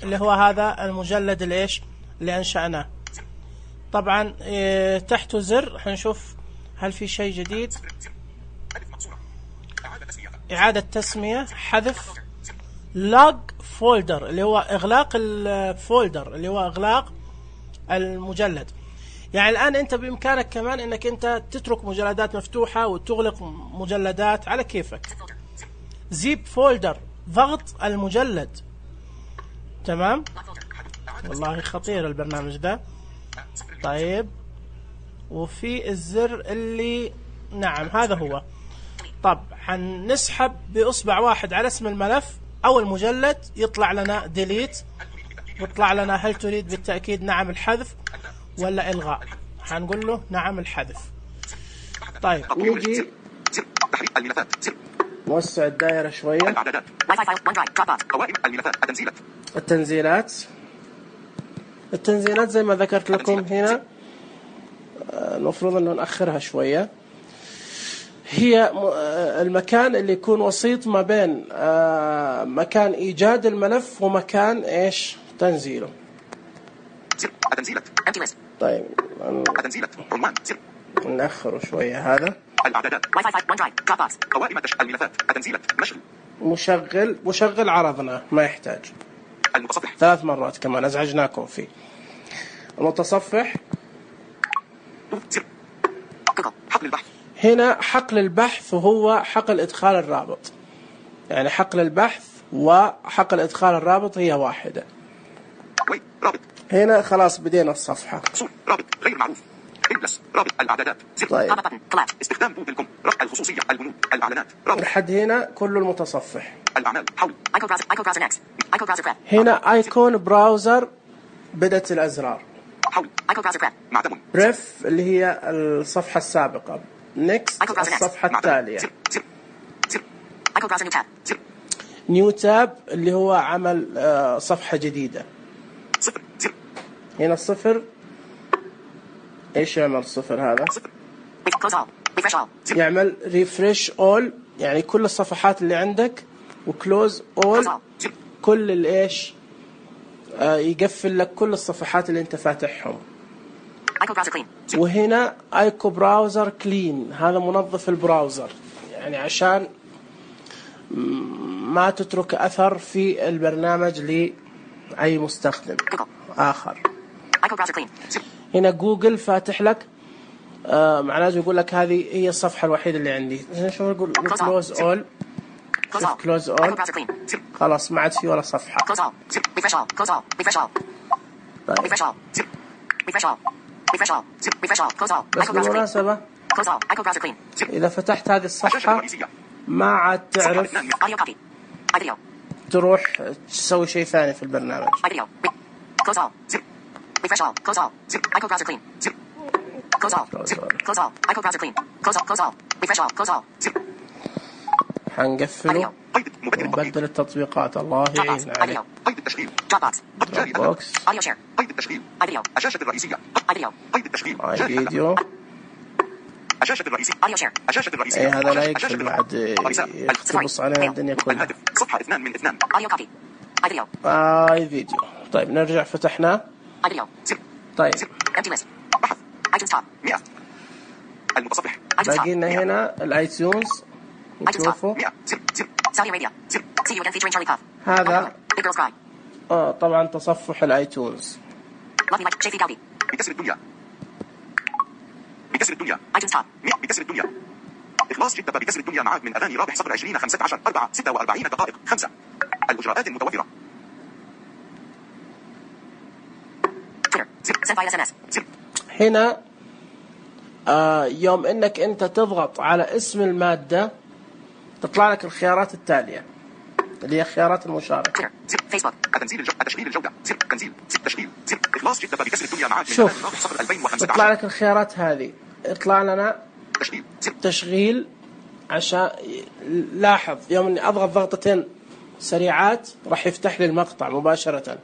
اللي هو هذا المجلد الإيش اللي أنشأناه. طبعا تحته زر، حنشوف هل في شيء جديد. إعادة تسمية، حذف، log folder اللي هو إغلاق الفولدر اللي هو إغلاق المجلد. يعني الآن أنت بإمكانك كمان أنك أنت تترك مجلدات مفتوحة وتغلق مجلدات على كيفك. زيب فولدر، ضغط المجلد. تمام، والله خطير البرنامج ده. طيب وفي الزر اللي نعم هذا هو. طب حنسحب بإصبع واحد على اسم الملف أو المجلد، يطلع لنا ديليت، ويطلع لنا هل تريد بالتأكيد نعم الحذف ولا إلغاء. حنقول له نعم الحذف. طيب نيجي نوسع الدائرة شوية. التنزيلات زي ما ذكرت لكم هنا، المفروض أنه نأخرها شوية. هي المكان اللي يكون وسيط ما بين مكان إيجاد الملف ومكان إيش؟ تنزيله. طيب نأخره شوية. هذا مشغل عرضنا ما يحتاج. 3 مرات كمان أزعجناكم فيه. المتصفح هنا حقل البحث، وهو حقل إدخال الرابط. يعني حقل البحث وحقل إدخال الرابط هي واحدة. هنا خلاص بدينا الصفحة. رابط غير معروف، رابط الإعدادات. طيب استخدام جوجل.com، رفع الخصوصية، البنود، الإعلانات. لحد هنا كل المتصفح. الأعمال، حول هنا ايكون براوزر، بدت الأزرار. حول معدم. بريف اللي هي الصفحة السابقة. نيكست الصفحة التالية. نيو تاب اللي هو عمل صفحة جديدة. هنا الصفر. ايش يعمل الصفر هذا؟ يعمل ريفريش اول، يعني كل الصفحات اللي عندك، وكلوز اول كل الايش، يقفل لك كل الصفحات اللي انت فاتحهم. وهنا ايكو براوزر كلين، هذا منظف البراوزر، يعني عشان ما تترك اثر في البرنامج لاي مستخدم اخر. هنا جوجل فاتح لك، معناته يقول لك هذه هي الصفحة الوحيدة اللي عندي. شوف نقول كلوز اول، كلوز اول، خلاص ما عاد في ولا صفحة. بس بالمناسبة إذا فتحت هذه الصفحة ما عاد تعرف Audio copy. iVideo. تروح تسوي شيء ثاني في البرنامج. iVideo. Close all. Refresh all. Close all. iCode browser clean. Close all. Close all. iCode browser clean. Close all. Close all. Refresh all. Close all. حنقفله قيد مبدل التطبيق. ونبدل التطبيقات. الله يعين عليك. iVideo. قيد التشغيل. Dropbox. جاري بوكس. Audio share. قيد التشغيل. iVideo. الشاشة الرئيسية. iVideo. قيد التشغيل. هاي جاري فيديو. الشاشة الرئيسية. Audio share. الشاشة الرئيسية. اي هذا لا الشاشة يقفل الرئيسية. بعد يخبص علينا الدنيا كلها. الهاتف صفحة 2 من 2. Audio copy. iVideo. هاي فيديو. طيب نرجع فتحناه. iVideo. طيب Empty list. بحث iTunes top. 100. المتصفح iTunes top. باقي لنا هنا الايتونز نشوفه. 100. Saudi Arabia. See you again featuring Charlie Puth. هذا Big Girls Cry. طبعا تصفح الايتونز. Love Me Like Shafi Gaudi. بكسر الدنيا. بكسر الدنيا. iTunes top. 100. بكسر الدنيا. إخلاص جدة بكسر الدنيا معاد من أغاني رابح صفر 20 15 4 46 دقائق 5. الإجراءات المتوفرة. Twitter. Sent via SMS. هنا يوم انك انت تضغط على اسم المادة تطلع لك الخيارات التالية اللي هي خيارات المشاركة. Twitter. Facebook. التشغيل الجودة. تنزيل. تشغيل. إخلاص جدة بكسر الدنيا معاد من شوف. أغاني رابح صفر 2015. تطلع لك الخيارات هذه. يطلع لنا تشغيل. تشغيل. عشان لاحظ يوم اني اضغط ضغطتين سريعات راح يفتح لي المقطع مباشرة،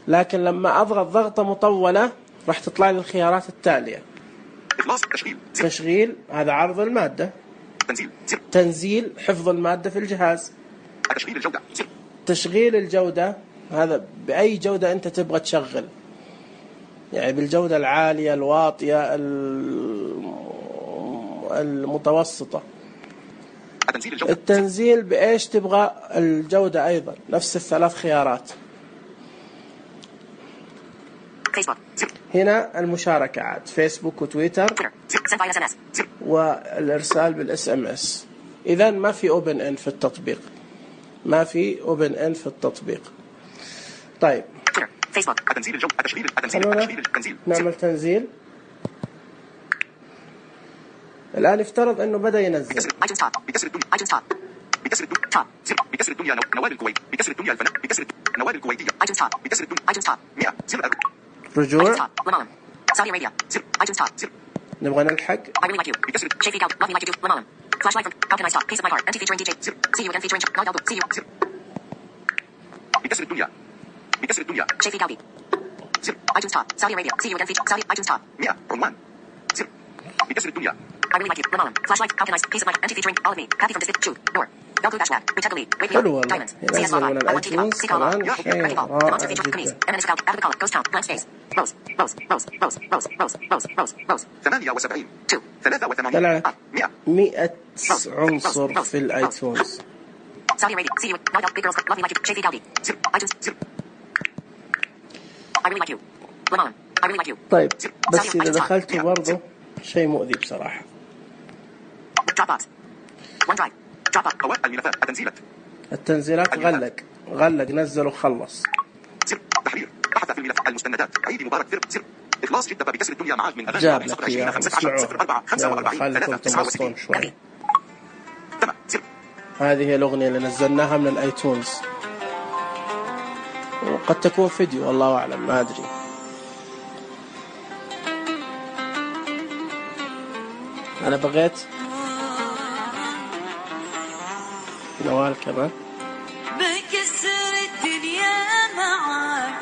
لكن لما اضغط ضغطة مطولة راح تطلع لي الخيارات التالية. إخلاص. تشغيل. تشغيل هذا عرض المادة. تنزيل. تنزيل حفظ المادة في الجهاز. تشغيل الجودة. تشغيل الجودة هذا بأي جودة أنت تبغى تشغل، يعني بالجودة العالية الواطية المتوسطة. تنزيل الجودة. التنزيل بإيش تبغى الجودة أيضا نفس الثلاث خيارات. Facebook. هنا المشاركة عاد فيسبوك وتويتر Twitter. Sent via SMS. والإرسال بالإس ام اس. إذا ما في اوبن ان في التطبيق، ما في اوبن ان في التطبيق. طيب Twitter. Facebook. تنزيل الجودة. تشغيل. خلونا التنزيل. نعمل تنزيل. الآن يفترض أنه بدأ ينزل. iTunes top. بكسر الدنيا. iTunes top. بكسر الدنيا. Top. بكسر الدنيا. نوال الكويت. بكسر الدنيا الفنان. بكسر نوال الكويتية. iTunes top. بكسر الدنيا. iTunes top. 100. زر رجوع. iTunes top. Lebanon. Saudi Arabia. iTunes top. نبغى نلحق. I really like you. بكسر Shafi Gaudi. Love Me Like You Do. Lebanon. Flashlight from How Can I Stop? Piece of My Heart. Empty featuring DJ. See you again featuring Charlie Puth. See you. بكسر الدنيا. بكسر الدنيا. Shafi Gaudi. iTunes top. Saudi Arabia. See you again featuring Saudi. iTunes top. 100. عنوان. بكسر الدنيا. I really like you. Lebanon. Flashlight. How can I? Piece of my heart. Empty featuring all of me. Happy from Distant. Truth. Door. Belgrade Bachelor. Pretend to lead. Wake me حلو up. والله. Diamonds. CS ينزل Lava. من I want to give up. الايتونز Seek all love. كمان شيء Wrecking ball. The monster رائع featuring Camise. جدا. And then it's out. Out of the color. Ghost town. Blank space. Rose. Rose. Rose. Rose. Rose. Rose. Rose. Rose. Rose. Rose. 78. 2. 83. طلع لك 100. 100 عنصر في الايتونز. Saudi Arabia. See you. No doubt. Big girls. Love me like you. Shafi Gaudi. iTunes. I really like you. Lebanon. I really like you. طيب بس Saudi. إذا iTunes top. دخلته برضه شيء مؤذي بصراحة. Dropbox. OneDrive. Dropbox. أوائل الملفات. التنزيلات. التنزيلات غلق نزل وخلص. تحرير. بحث في الملف. المستندات. عيد مبارك فرق. إخلاص جدة بكسر الدنيا معاد من أغاني جاب رابح لك صفر 20 إياه 15 اسمعوه. 04 45 خليكم 3 تنبسطون 69. شوي. تمام. هذه هي الأغنية اللي نزلناها من الآيتونز، وقد تكون فيديو والله أعلم ما أدري. أنا بغيت نوال كمان. بكسر الدنيا معاك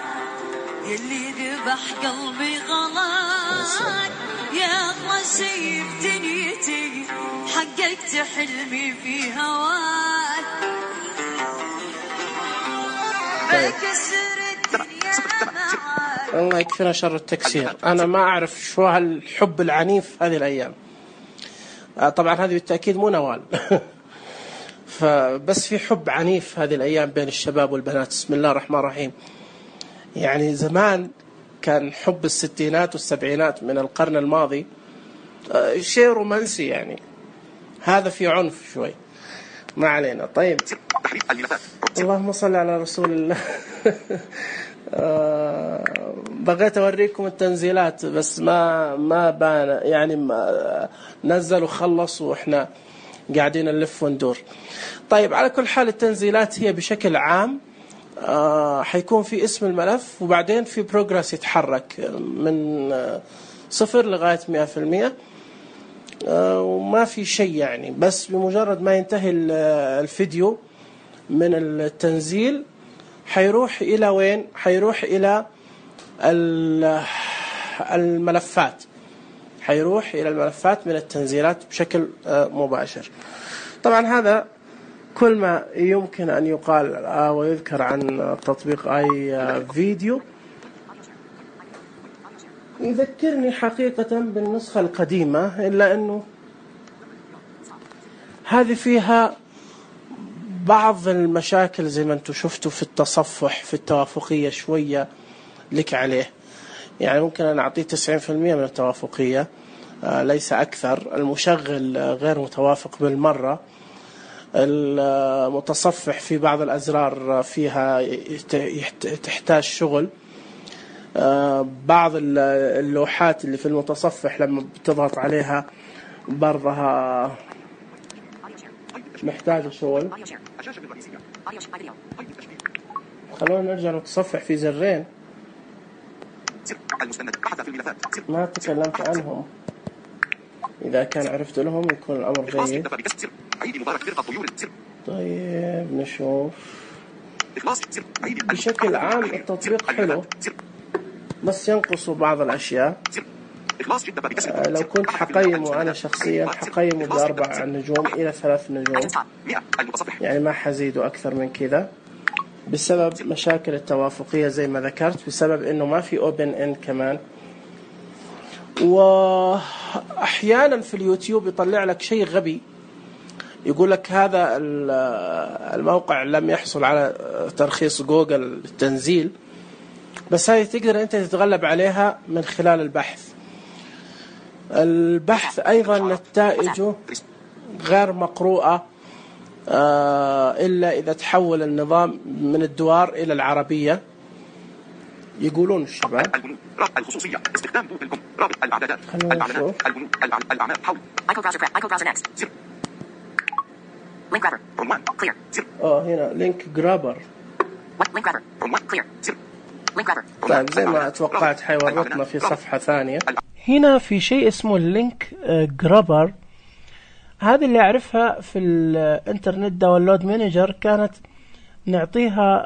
يلي ذبح قلبي غلاك يا أغلى شي في دنيتي حققت حلمي في هواك بكسر الدنيا معاك. الله يكفينا شر التكسير. أنا ما أعرف شو هالحب العنيف هذه الأيام. طبعا هذه بالتأكيد مو نوال. فبس في حب عنيف هذه الأيام بين الشباب والبنات. بسم الله الرحمن الرحيم. يعني زمان كان حب الستينات والسبعينات من القرن الماضي شيء رومانسي، يعني هذا في عنف شوي. ما علينا. طيب تحرير الملفات. اللهم صل على رسول الله. بغيت أوريكم التنزيلات بس ما بان، يعني ما نزل وخلص وإحنا قاعدين نلف وندور. طيب على كل حال التنزيلات هي بشكل عام حيكون في اسم الملف، وبعدين في بروجرس يتحرك من 0 لغاية 100%، وما في شيء يعني. بس بمجرد ما ينتهي الفيديو من التنزيل حيروح إلى وين؟ حيروح إلى الملفات، حيروح إلى الملفات من التنزيلات بشكل مباشر. طبعا هذا كل ما يمكن أن يقال ويذكر عن تطبيق اي فيديو. يذكرني حقيقة بالنسخة القديمة، إلا أنه هذه فيها بعض المشاكل زي ما أنتم شفتوا في التصفح، في التوافقية شوية لك عليه. يعني ممكن أن أعطيه 90% من التوافقية ليس أكثر. المشغل غير متوافق بالمرة. المتصفح في بعض الأزرار فيها تحتاج شغل. بعض اللوحات اللي في المتصفح لما بتضغط عليها برضها محتاجة شغل. خلونا نرجع نتصفح في زرين ما تكلمت عنهم، إذا كان عرفت لهم يكون الأمر جيد. طيب نشوف. بشكل عام التطبيق حلو، بس ينقصوا بعض الأشياء. لو كنت حقيمه أنا شخصيا حقيمه ب4 نجوم إلى 3 نجوم، يعني ما حزيده أكثر من كذا، بسبب مشاكل التوافقية زي ما ذكرت، بسبب إنه ما في open end كمان. وأحيانا في اليوتيوب يطلع لك شيء غبي، يقول لك هذا الموقع لم يحصل على ترخيص جوجل للتنزيل، بس هذه تقدر أنت تتغلب عليها من خلال البحث. أيضا نتائجه غير مقروءة إلا إذا تحول النظام من الدوار إلى العربية، يقولون الشباب. الخصوصية استخدام جوجل كوم، رابط الإعدادات، الأعمال حول Link grabber. عنوان Clear. هنا لينك جرابر. Link grabber. عنوان Clear. Link grabber. طيب زي ما توقعت حيورطنا في صفحة ثانية. هنا في شيء اسمه اللينك جرابر. هذه اللي أعرفها في الانترنت داونلود مانجر، كانت نعطيها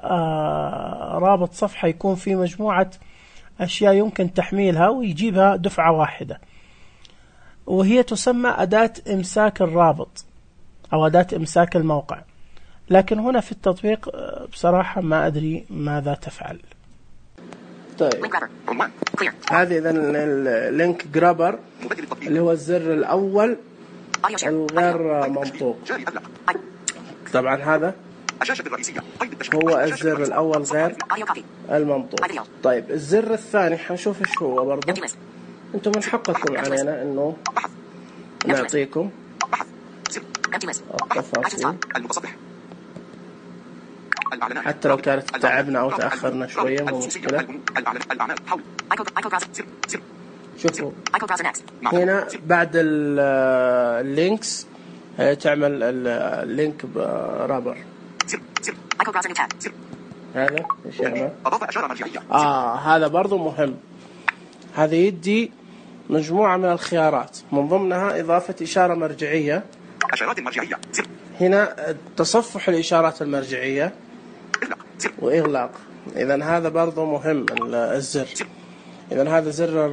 رابط صفحة يكون فيه مجموعة أشياء يمكن تحميلها ويجيبها دفعة واحدة، وهي تسمى أداة إمساك الرابط أو أداة إمساك الموقع. لكن هنا في التطبيق بصراحة ما أدري ماذا تفعل. طيب هذه إذن اللينك جرابر اللي هو الزر الأول الغير منطوق. طبعا هذا هو الزر الأول غير المنطوق. طيب الزر الثاني حنشوف إيش هو برضه. أنتم من حقكم علينا إنه نعطيكم التفاصيل حتى لو كانت تعبنا أو تأخرنا شوية، مو مشكلة. شوفوا هنا بعد اللينكس تعمل اللينك برابر. هذا ايش يعمل؟ هذا برضو مهم. هذا يدي مجموعة من الخيارات، من ضمنها إضافة إشارة مرجعية. هنا تصفح الإشارات المرجعية وإغلاق. إذن هذا برضو مهم الزر. إذن هذا زر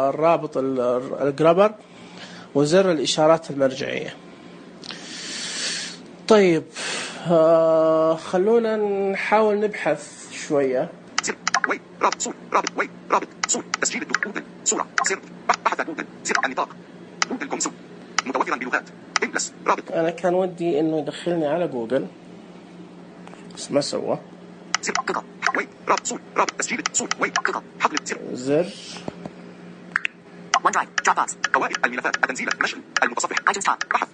الرابط الجرابر وزر الإشارات المرجعية. طيب خلونا نحاول نبحث شوية. رابط صورة تسجيل جوجل صورة سر بحث جوجل سر النطاق جوجل كونسول متوفرا بلغات إنجلس رابط. أنا كان ودي إنه يدخلني على جوجل بس ما سوى. سر جوجل رابط صورة رابط تسجيل صورة جوجل حقل سر زر OneDrive Dropbox قواعد الملفات التنزيل نشر المتصفح iTunes Top بحث.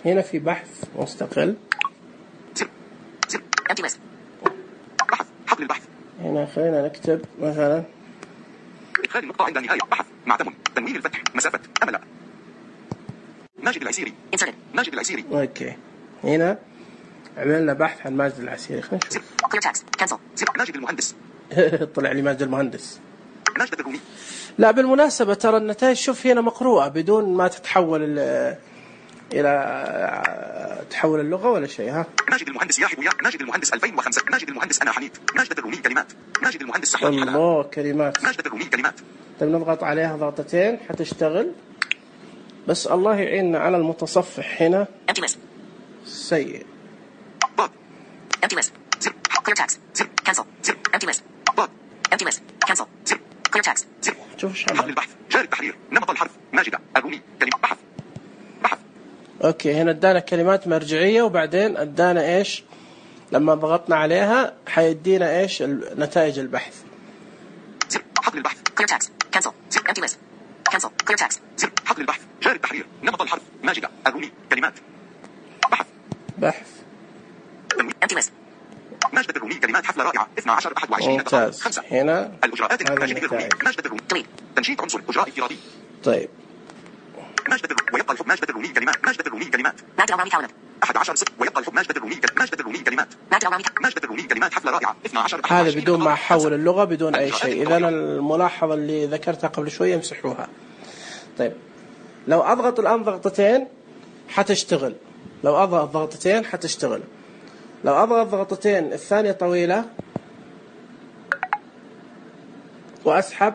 هنا في بحث مستقل. سر Empty list بحث حقل البحث. هنا خلينا نكتب مثلا إدخال النقطة عند النهاية بحث معتم تنوين الفتح مسافة أمل ماجد العسيري. Inserted. ماجد العسيري. اوكي هنا عملنا بحث عن ماجد العسيري. خلينا نشوف. Clear text. Cancel. ماجد المهندس. طلع لي ماجد المهندس. ماجد الرومي. لا بالمناسبة ترى النتائج شوف هنا مقروءة بدون ما تتحول إلى تحول اللغة ولا شيء. ها ماجد المهندس ياحب يا ماجد المهندس 2005. ماجد المهندس أنا حنيت. ماجد الرومي كلمات. ماجد المهندس سحلان حلا. الله كلمات. ماجد الرومي كلمات. طيب نضغط عليها ضغطتين حتشتغل بس الله يعيننا على المتصفح هنا Empty list. سيء. ضاد. Empty list. Clear text. Cancel. Empty list. ضاد. Empty list. Cancel. Clear text. شوف ايش حقل عمل. البحث. جاري التحرير. نمط الحرف. ماجد الرومي كلمة بحث. بحث. اوكي هنا ادانا كلمات مرجعية وبعدين ادانا ايش لما ضغطنا عليها حيدينا ايش نتائج البحث. حقل البحث. Clear text. Cancel. Empty list. Cancel. Clear text. حقل البحث. جاري التحرير. نمط الحرف. ماجد الرومي كلمات بحث. بحث. تنوين. Empty list. ماجد الرومي كلمات حفلة رائعة 12 21 دقائق ممتاز. 5 هنا الإجراءات هذا ماجد الرومي. النتائج. ماجد الرومي. Delete. تنشيط عنصر إجراء افتراضي. طيب ماجد الرومي ويبقى الحب. ماجد الرومي كلمات. ماجد الرومي كلمات Magda Al-Rami calendar. 11 6 ويبقى الحب. ماجد الرومي ماجد الرومي كلمات. Magda Al-Rami. ماجد الرومي كلمات حفلة رائعة 12 هذا بدون ما احول اللغة بدون اي شيء. اذا الملاحظة اللي ذكرتها قبل شوية امسحوها. طيب لو اضغط الان ضغطتين حتشتغل. لو اضغط ضغطتين حتشتغل. لو اضغط ضغطتين الثانية طويلة واسحب.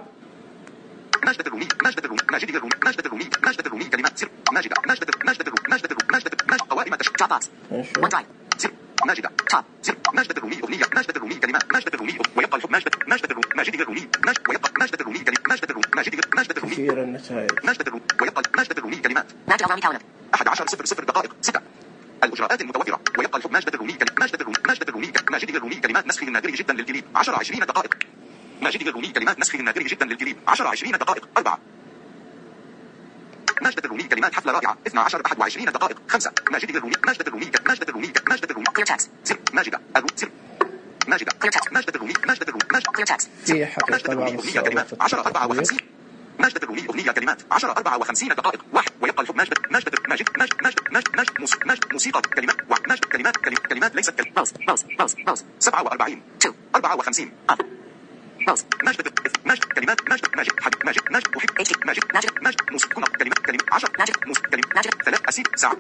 ماجد الرومي. ماجد الرومي. ماجد الرومي. ماجد الرومي. ماجد الرومي كلمات سر. ماجد ماجد ماجد الرومي. ماجد الرومي. ماجد ماجد قوائم تشغيل. Dropbox. نشوف. OneDrive. سر. ماجد Top. سر. ماجد الرومي أغنية. ماجد الرومي كلمات. ماجد الرومي ويبقى الحب. ماجد ماجد الرومي. ماجد الرومي. ماجد ويبقى ماجد الرومي كلمات. ماجد الرومي. ماجد الرومي. كثير النتائج. ماجد الرومي ويبقى ماجد الرومي كلمات. Magda Al-Rami calendar. 11 0 دقائق 6 الإجراءات المتوفرة ويبقى الحب. ماجد الرومي كلمات. ماجد الرومي. ماجد الرومي. ماجد الرومي كلمات نسخه النادر جدا للجليد 10 20 دقائق. ماجد الرومي كلمات نسخه النادر جدا للجليد 10 20 دقائق 4 ماجد الرومي كلمات حفلة رائعة 12 21 دقائق 5 ماجد الرومي. ماجد الرومي. ماجد الرومي. ماجد الرومي. Clear text. سر. ماجد الرومي. سر. ماجد. Clear text. ماجد الرومي. ماجد الرومي. ماجد. Clear text. في حقيقة ماجد الرومي بعض أغنية كلمات الصعوبات 10 54 ماجد الرومي أغنية كلمات 10 54 دقائق 1 ويبقى الحب. ماجد ماجد ماجد ماجد ماجد ماجد ماجد موسيقى كلمات ماجد كلمات ليست كلمات. Rose. 47 2. 54 Up. Rose. ماجد كلمات ماجد حبيب ماجد محب ماجد موسيقى كلمات 10 كلمات 3 أسيب ساعة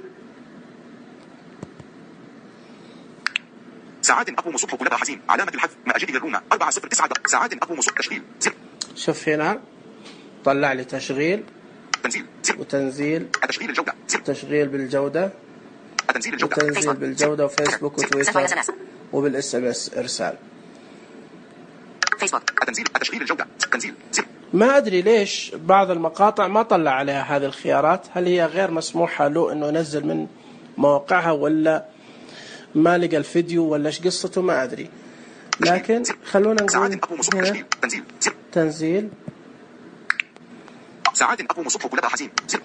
ساعات أقوم صبح كلها حزين علامة الحذف مأجد الرونا 409 ساعات أقوم صبح تشغيل سر. شوف هنا طلع لي تشغيل تنزيل سر. وتنزيل تشغيل الجودة سر. تشغيل بالجودة تنزيل الجودة وتنزيل بالجودة وفيسبوك وتويتر وبالاس ام اس ارسال. Facebook. تشغيل الجودة تنزيل سر. ما ادري ليش بعض المقاطع ما طلع عليها هذه الخيارات. هل هي غير مسموحة له انه ينزل من مواقعها ولا ما لقى الفيديو ولا ايش قصته ما ادري. لكن خلونا ساعات نقول أقوم صبح هنا تشغيل تنزيل سر. تنزيل ساعات أقوم صبح كلها حزين سر.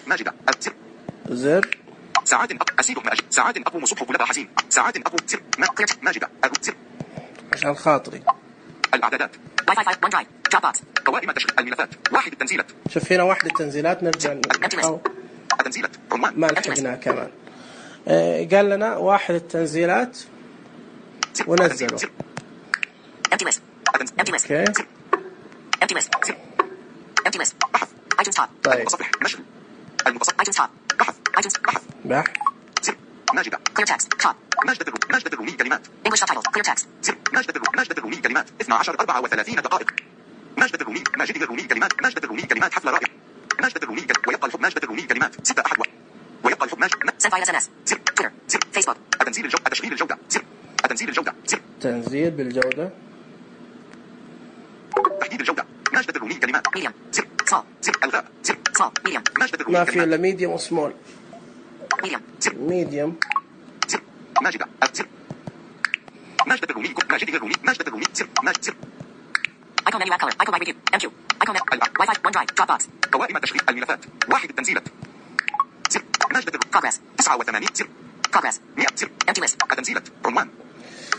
ماجدة سر. زر ساعات أسيد ماجد ساعات أقوم صبح كلها حزين ساعات أقوم سر. ماجدة سر. عشان خاطري. الإعدادات Wi-Fi 5. OneDrive. Dropbox. قوائم تشغيل الملفات واحد التنزيلات شوف هنا واحدة التنزيلات نرجع نحاول. التنزيلات عنوان ما لحقناها كمان. قال لنا واحد التنزيلات ونزله. Empty list. Empty list. اوكي Empty list. Empty list. بحث iTunes top. طيب المتصفح نشر المتصفح iTunes top. بحث iTunes. بحث سر. ماجدة Clear text. Top. ماجدة الرومي كلمات English subtitles. Clear text. سر. ماجدة الرومي كلمات 12 34 دقائق ماجدة الرومي كلمات ماجدة الرومي كلمات حفلة رائعة ماجدة الرومي ويبقى الحب. ماجدة الرومي كلمات 6 أحد ويبقى الحب. Send via SMS. سر. Twitter. سر. Facebook. تنزيل الجودة تشغيل الجودة سر. تنزيل الجودة سر. تنزيل بالجودة. تحديد الجودة ماجدة الرومي كلمات Medium. سر. Small. سر. ألغاء سر. Small. Medium. ماجدة الرومي ما في كلمات الا ميديوم وسمول. Medium. سر. ميديوم سر. ماجدة سر. ماجدة الرومي ماجدة الرومي سر. ماجد سر. Icon menu app color. Icon by review. MQ. Icon Wi-Fi. OneDrive. Dropbox. قوائم تشغيل الملفات واحد التنزيلات سر. ماجدة Progress. 89 سر. Progress. 100 سر. Empty list. التنزيلات عنوان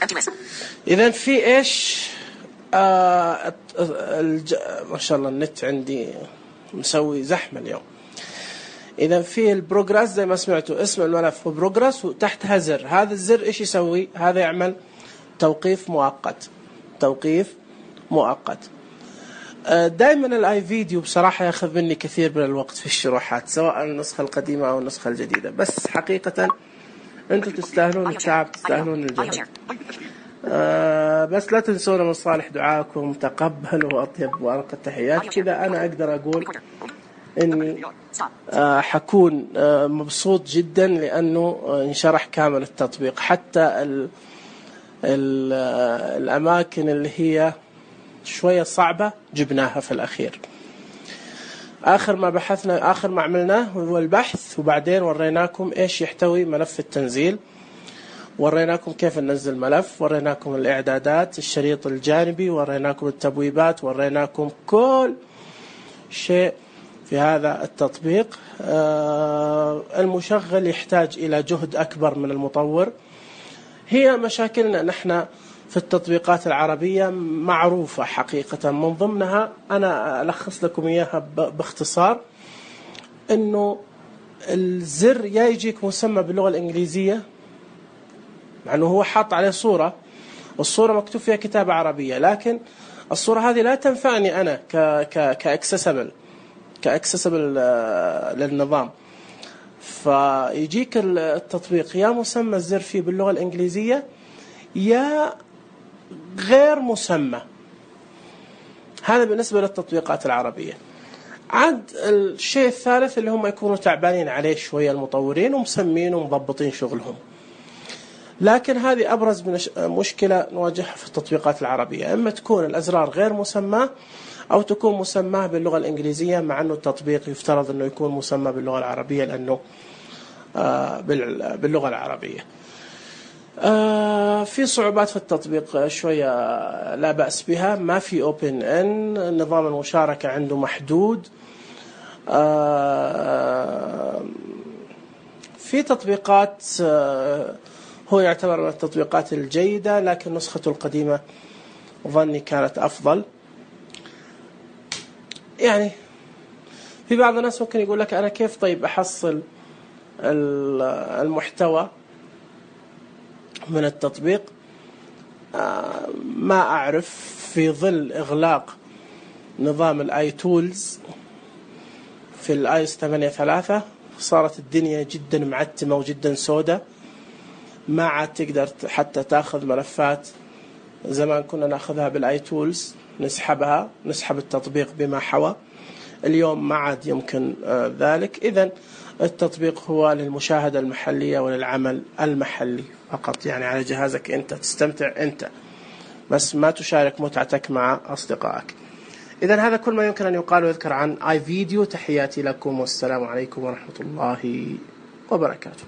Empty list. إذا في إيش ما شاء الله النت عندي مسوي زحمة اليوم. إذا في البروجرس زي ما سمعتوا اسم الملف هو بروجرس وتحتها زر، هذا الزر إيش يسوي؟ هذا يعمل توقيف مؤقت. توقيف مؤقت. دائما الاي فيديو بصراحة ياخذ مني كثير من الوقت في الشروحات، سواء النسخة القديمة أو النسخة الجديدة، بس حقيقة أنتم تستاهلون التعب، تستاهلون الجهد. بس لا تنسونا من صالح دعاءكم، تقبلوا وأطيب وأرق التحيات. كذا أنا أقدر أقول إني حكون مبسوط جدا لأنه انشرح كامل التطبيق، حتى الأماكن اللي هي شوية صعبة جبناها في الأخير. آخر ما عملناه هو البحث، وبعدين وريناكم إيش يحتوي ملف التنزيل، وريناكم كيف ننزل ملف، وريناكم الإعدادات، الشريط الجانبي، وريناكم التبويبات، وريناكم كل شيء في هذا التطبيق. المشغل يحتاج إلى جهد أكبر من المطور. هي مشاكلنا نحن في التطبيقات العربية معروفة حقيقة، من ضمنها أنا ألخص لكم إياها باختصار، إنه الزر يا يجيك مسمى باللغة الإنجليزية مع إنه هو حاط عليه صورة، والصورة مكتوب فيها كتابة عربية، لكن الصورة هذه لا تنفعني أنا كأكسسبل للنظام. فيجيك التطبيق يا مسمى الزر فيه باللغة الإنجليزية يا غير مسمى. هذا بالنسبة للتطبيقات العربية. عاد الشيء الثالث اللي هم يكونوا تعبانين عليه شوية المطورين ومسمين ومضبطين شغلهم، لكن هذه أبرز مشكلة نواجهها في التطبيقات العربية، إما تكون الأزرار غير مسمى أو تكون مسماه باللغة الإنجليزية، مع أنه التطبيق يفترض أنه يكون مسمى باللغة العربية لأنه باللغة العربية. في صعوبات في التطبيق شوية لا بأس بها، ما في اوبن ان، نظام المشاركة عنده محدود. في تطبيقات هو يعتبر من التطبيقات الجيدة، لكن نسخته القديمة ظني كانت أفضل. يعني في بعض الناس ممكن يقول لك أنا كيف طيب أحصل المحتوى من التطبيق؟ ما أعرف. في ظل إغلاق نظام الآي تولز في الآيس 8.3 صارت الدنيا جدا معتمة وجدا سودة، ما عاد تقدر حتى تأخذ ملفات. زمان كنا نأخذها بالآي تولز، نسحب التطبيق بما حوى، اليوم ما عاد يمكن ذلك. إذن التطبيق هو للمشاهدة المحلية وللعمل المحلي فقط، يعني على جهازك أنت تستمتع أنت، بس ما تشارك متعتك مع أصدقائك. إذن هذا كل ما يمكن أن يقال ويذكر عن آي فيديو. تحياتي لكم والسلام عليكم ورحمة الله وبركاته.